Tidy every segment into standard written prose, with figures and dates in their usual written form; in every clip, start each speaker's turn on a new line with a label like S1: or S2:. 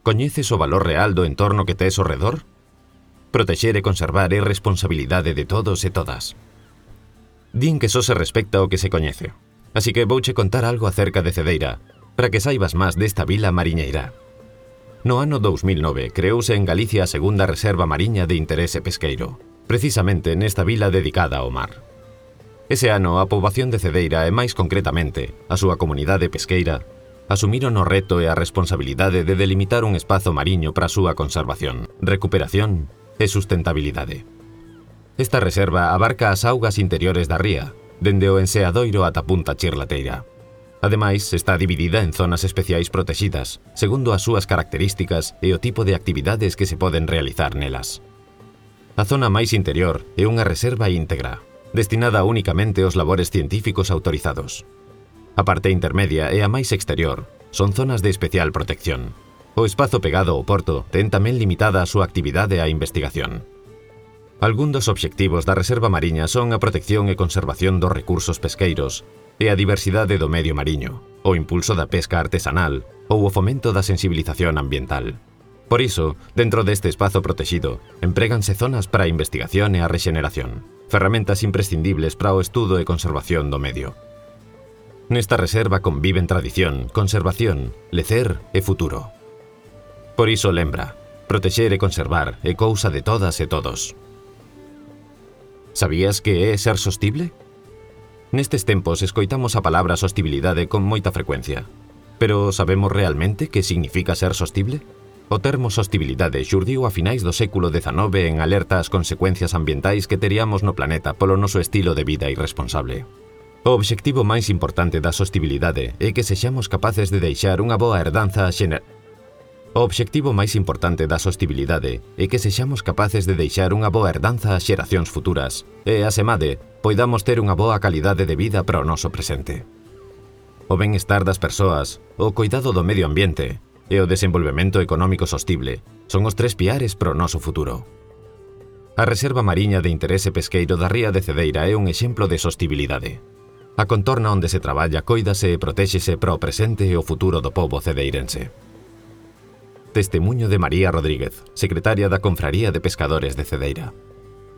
S1: Coñeces o valor real do entorno que tes ao redor? Protexer e conservar é responsabilidade de todos e todas. Din que só se respecta o que se coñece. Así que vouche contar algo acerca de Cedeira, para que saibas máis desta vila mariñeira. No ano 2009 creouse en Galicia a segunda reserva mariña de interese pesqueiro, precisamente nesta vila dedicada ao mar. Ese ano a poboación de Cedeira e máis concretamente a súa comunidade pesqueira asumiron o reto e a responsabilidade de delimitar un espazo mariño para a súa conservación, recuperación e sustentabilidade. Esta reserva abarca as augas interiores da ría, dende o Enseadoiro ata Punta Chirlateira. Ademais, está dividida en zonas especiais protexidas, segundo as súas características e o tipo de actividades que se poden realizar nelas. A zona máis interior é unha reserva íntegra, destinada únicamente aos labores científicos autorizados. A parte intermedia e a máis exterior son zonas de especial protección. O espazo pegado ao porto ten tamén limitada a súa actividade á investigación. Algún dos obxectivos da reserva mariña son a protección e conservación dos recursos pesqueiros e a diversidade do medio mariño, o impulso da pesca artesanal ou o fomento da sensibilización ambiental. Por iso, dentro deste espazo protexido, empréganse zonas para a investigación e a rexeneración, ferramentas imprescindibles para o estudo e conservación do medio. Nesta reserva conviven tradición, conservación, lecer e futuro. Por iso lembra, protexer e conservar é cousa de todas e todos. Sabías que é ser sostible? Nestes tempos escoitamos a palabra sostibilidade con moita frecuencia. Pero sabemos realmente que significa ser sostible? O termo sostibilidade xurdiu a finais do século XIX en alerta ás consecuencias ambientais que teríamos no planeta polo noso estilo de vida irresponsable. O obxectivo máis importante da sostibilidade é que sexamos capaces de deixar unha boa herdanza ás xeracións futuras e, asemade, poidamos ter unha boa calidade de vida para o noso presente. O benestar das persoas, o coidado do medio ambiente e o desenvolvemento económico sostible son os tres piares para o noso futuro. A Reserva Mariña de Interese Pesqueiro da Ría de Cedeira é un exemplo de sostibilidade. A contorna onde se traballa coídase e protéxese para o presente e o futuro do pobo cedeirense. Testemuño de María Rodríguez, secretaria da Confraría de Pescadores de Cedeira.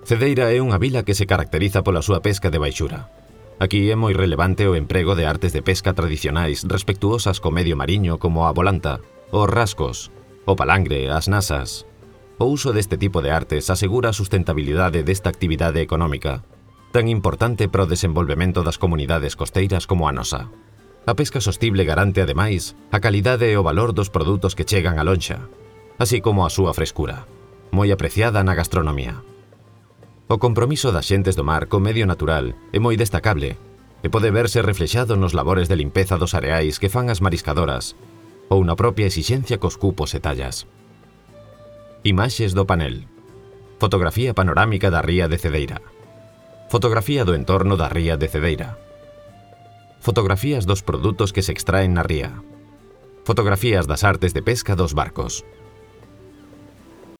S1: Cedeira é unha vila que se caracteriza pola súa pesca de baixura. Aquí é moi relevante o emprego de artes de pesca tradicionais respectuosas co medio mariño como a volanta, os rascos, o palangre, as nasas. O uso deste tipo de artes asegura a sustentabilidade desta actividade económica, tan importante para o desenvolvemento das comunidades costeiras como a nosa. A pesca sostible garante, ademais, a calidade e o valor dos produtos que chegan á lonxa, así como a súa frescura, moi apreciada na gastronomía. O compromiso das xentes do mar co medio natural é moi destacable e pode verse reflexado nos labores de limpeza dos areais que fan as mariscadoras ou na propia exixencia cos cupos e tallas. Imaxes do panel. Fotografía panorámica da ría de Cedeira. Fotografía do entorno da ría de Cedeira. Fotografías dos produtos que se extraen na ría. Fotografías das artes de pesca dos barcos.